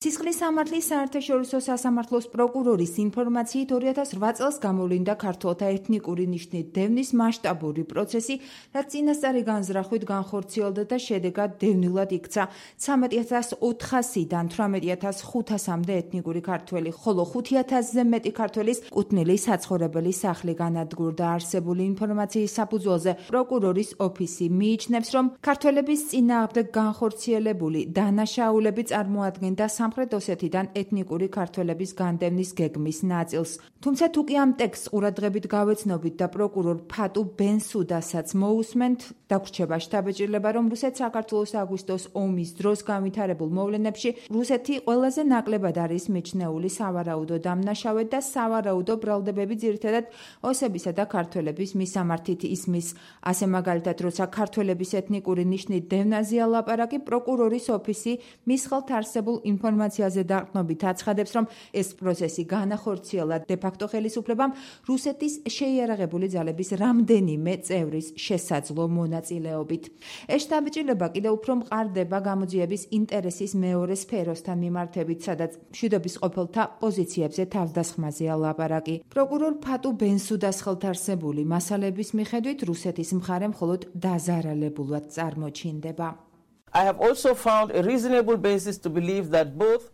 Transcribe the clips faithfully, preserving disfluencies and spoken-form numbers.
სისხლის სამართლის საერთაშორისო სასამართლოს პროკურორის ინფორმაციით ორი ათას ოთხ წელს გამოვლინდა ქართველთა ეთნიკური ნიშნით დევნის მასშტაბური პროცესი, რაც წინასწარი განზრახვით განხორციელდა და შედეგად დევნილად იქცა ცამეტი ათას ოთხასიდან თვრამეტი ათას ხუთასამდე ეთნიკური ქართველი, ხოლო ხუთი ათასზე მეტი ქართველის კუთვნილი საცხოვრებელი სახლი განადგურდა. არსებული ინფორმაციის საფუძველზე პროკურორის ოფისი მიიჩნევს, რომ ქართველების წინააღმდეგ განხორციელებული დანაშაულები წარმოადგენდა სამხრეთ ოსეთიდან ეთნიკური ქართველების განდევნის გეგმის ნაწილს. თუმცა თუ კი ამ ტექსტს ყურადღებით გავეცნობით და პროკურორ ფატუ ბენსუდასაც მოусმენთ, დაგვრჩება შთაბეჭდილება, რომ რუსეთ-საქართველოს აგვისტოს ომის დროს განვითარებულ მოვლენებში რუსეთი ყველაზე ნაკლებად არის მიჩნეული სავარაუდო დამნაშავედ და სავარაუდო ბრალდებები ძირითადად ოსებისა და ქართველების მისამართით ისმის. ასე მაგალითად, როცა ქართველების ეთნიკური ნიშნით დევნაზეა ლაპარაკი, პროკურორის ოფისი მის ხელთ არსებულ ინფორმაციაზე დაყრდნობით აცხადებს, რომ ეს პროცესი განახორციელა დე-ფაქტო ხელისუფლებამ რუსეთის შეიარაღებული ძალების რამდენიმე წევრის შესაძლო მონაწილეობით. ეს შთაბეჭდილება კიდევ უფრო მყარდება გამოძიების ინტერესის მეორე სფეროსთან მიმართებით, სადაც მშვიდობის ყოფილთა პოზიციებზე თავდასხმაზეა ლაპარაკი. პროკურორ ფატუ ბენსუდას ხელთ არსებული მასალების მიხედვით რუსეთის მხარე მხოლოდ დაზარალებულად წარმოჩინდება. I have also found a reasonable basis to believe that both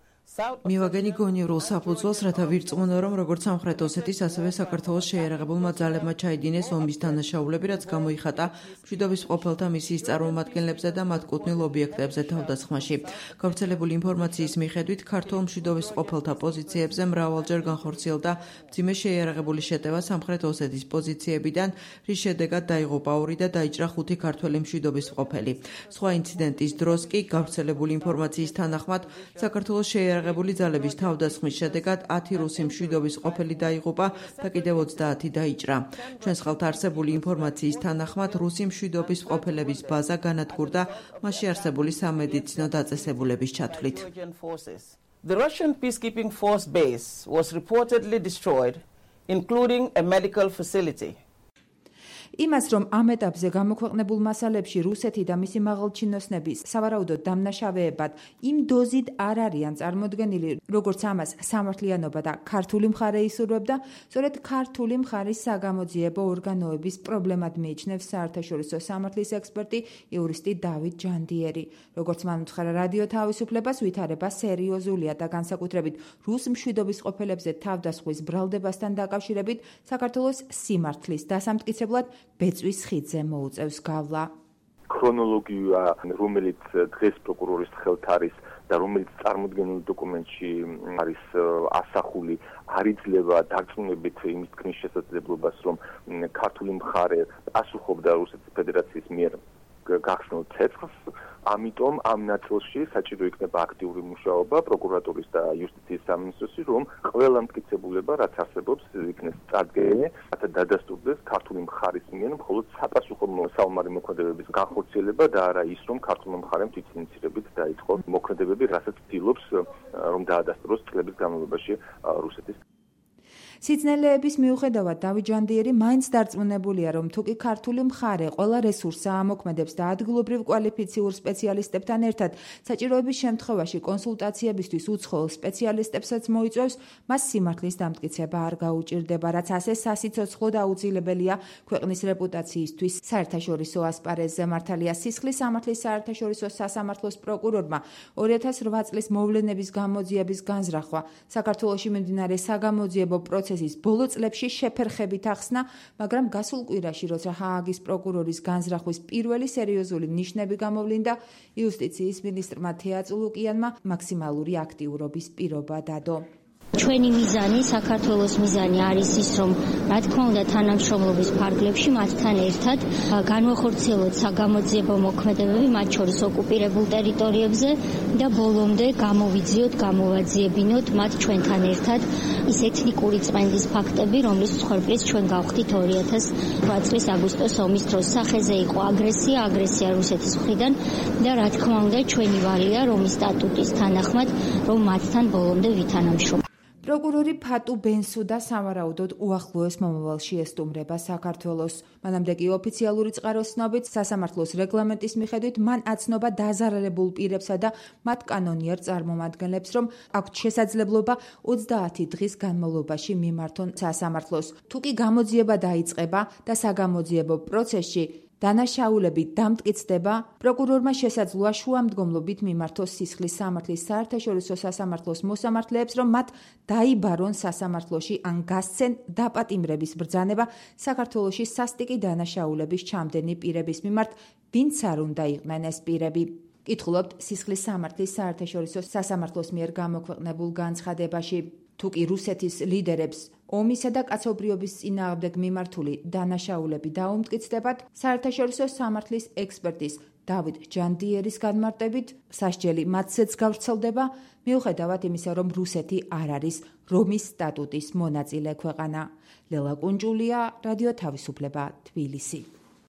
მივაგენი გონივრულ საფუძველს, რათა ვირწმუნო, რომ როგორც სამხრეთ ოსეთის, ასევე საქართველოს შეიარაღებულმა ძალებმა ჩაიდინეს ომის დანაშაულები, რაც გამოიხატა მშვიდობის ყოფილთა მისიის წარმომადგენლებზე და მათ კუთვნილ ობიექტებზე თავდასხმაში. გავრცელებული ინფორმაციის მიხედვით, ქართულ მშვიდობის ყოფილთა პოზიციებზე მრავალჯერ განხორციელდა მძიმე შეიარაღებული შეტევა სამხრეთ ოსეთის პოზიციებიდან, რის შედეგად დაიღუპა ორი და დაიჭრა ხუთი ქართველი მშვიდობის ყოფილი. სხვა ინციდენტის დროს კი გავრცელებული ინფორმაციის თანახმად, საქართველოს შეიარაღებული შეიარაღებული ძალების თავდასხმის შედეგად ათი რუსი მშვიდობის ყოფილი დაიღუპა და კიდევ ოცდაათი დაიჭრა. ჩვენს ხელთ არსებული ინფორმაციის თანახმად რუსი მშვიდობის ყოფილების ბაზა განადგურდა მასში არსებული სამედიცინო დაწესებულების ჩათვლით. The Russian peacekeeping force base was reportedly destroyed, including a medical facility. იმას, რომ ამ ეტაპზე გამოქვეყნებულ მასალებში რუსეთი და მისი მაღალჩინოსნები სავარაუდოდ დამნაშავეებად იმ დოზით არ არიან წარმოდგენილი, როგორც ამას სამართლიანობა და ქართული მხარე ისურვებდა, სწორედ ქართული მხარის საგამოძიებო ორგანოების პრობლემად მიიჩნევს საერთაშორისო სამართლის ექსპერტი იურისტი დავით ჯანდიერი. როგორც მან უთხრა რადიო თავისუფლებას, ვითარება სერიოზულია და განსაკუთრებით რუს მშვიდობის ყოფილებზე თავდასხმის ბრალდებასთან დაკავშირებით საქართველოს სიმართლის დასამტკიცებლად ბეწვის ხიდზე მოუწევს გავლა. ქრონოლოგია, რომელიც დღეს პროკურორის ხელთ არის და რომელიც წარმოდგენილ დოკუმენტში არის ასახული, არ იძლევა დარწმუნებით იმის თქმის შესაძლებლობას, რომ ქართული მხარე პასუხობდა რუსეთის ფედერაციის მიერ გახსნილ ცეცხლს. ამიტომ ამ ნაწილში საჭირო იქნება აქტიური მუშაობა პროკურატურის და იუსტიციის სამინისტროსი, რომ ყველა მტკიცებულება, რაც არსებობს, იქნეს წარდგენილი, რათა დადასტურდეს ქართული მხარის მიერ მხოლოდ საპასუხო საომარი მოქმედებების განხორციელება და არა ის, რომ ქართული მხარემ თვითინიცირებით დაიწყო მოქმედებები, რასაც ცდილობს, რომ დაადასტუროს წლების განმავლობაში რუსეთის. სიძნელეების მიუხედავად დავით ჯანდიერი მაინც დარწმუნებულია, რომ თუკი ქართული მხარე ყველა რესურსს ამოქმედებს და ადგილობრივ კვალიფიციურ სპეციალისტებთან ერთად საჭიროების შემთხვევაში კონსულტაციებისთვის უცხოელ სპეციალისტებსაც მოიწვევს, მას სიმართლის დამტკიცება არ გაუჭირდება, რაც ასე სასიცოცხლო და აუცილებელია ქვეყნის რეპუტაციისთვის. საერთაშორისო ასპარეზზე მართალია სისხლის სამართლის საერთაშორისო სასამართლოს პროკურორმა ორი ათას ოთხ წლის მოვლენების გამოძიების განზრახვა საქართველოში მიმდინარე საგამოძიებო პროცესის ბოლო წლებში შეფერხებით ახსნა, მაგრამ გასულ კვირაში, როცა ჰააგის პროკურორის განზრახვის პირველი სერიოზული ნიშნები გამოვლინდა, იუსტიციის მინისტრმა თეატ ლუკიანმა მაქსიმალური აქტიურობის პირობა დადო. ჩვენი მიზანი, საქართველოს მიზანი არის ის, რომ რა თქმა უნდა თანამშრომლობის ფარგლებში მათთან ერთად განვახორციელოთ საგამოძიებო მოქმედებები მათ შორის ოკუპირებულ ტერიტორიებზე და ბოლომდე გამოვიძიოთ, გამოვაძიებინოთ მათ ჩვენთან ერთად ის ეთნიკური წმენდის ფაქტები, რომლის მსხვერპლიც ჩვენ გავხდით ორი ათას ოთხ წლის აგვისტოს ომის დროს. სახეზე იყო აგრესია, აგრესია რუსეთის მხრიდან და რა თქმა უნდა ჩვენი ვალია, რომ ის სტატუტის თანახმად, რომ მათთან ბოლომდე ვითანამშრომლოთ. პროკურორი ფატუ ბენსუდა სავარაუდოდ უახლოეს მომავალში ესტუმრება საქართველოს. მანამდე კი ოფიციალური წყაროს ცნობით სასამართლოს რეგლამენტის მიხედვით მან აცნობა დაზარალებულ პირებსა და მათ კანონიერ წარმომადგენლებს, რომ აქვთ შესაძლებლობა ოცდაათი დღის განმავლობაში მიმართონ სასამართლოს. თუ კი გამოძიება დაიწყება და საგამოძიებო პროცესში დანაშაულები დამტკიცდება, პროკურორმა შესაძლოა შუამდგომლობით მიმართოს სისხლის სამართლის საერთაშორისო სასამართლოს მოსამართლეებს, რომ მათ დაიბარონ სასამართლოში ან გასცენ დაპატიმრების ბრძანება საქართველოში სასტიკი დანაშაულების ჩამდენი პირების მიმართ, ვინც არ უნდა იყვნენ ეს პირები. კითხულობთ სისხლის სამართლის საერთაშორისო სასამართლოს მიერ გამოქვეყნებულ განცხადებაში. თუ კი რუსეთის ლიდერებს ომისა და კაცობრიობის წინააღმდეგ მიმართული დანაშაულები დაუმტკიცდებათ, საერთაშორისო სამართლის ექსპერტის დავით ჯანდიერის განმარტებით, სასჯელი მათზეც გავრცელდება, მიუხედავად იმისა, რომ რუსეთი არ არის რომის სტატუტის მონაწილე ქვეყანა. ლელა კუნჯულია, რადიო თავისუფლება, თბილისი.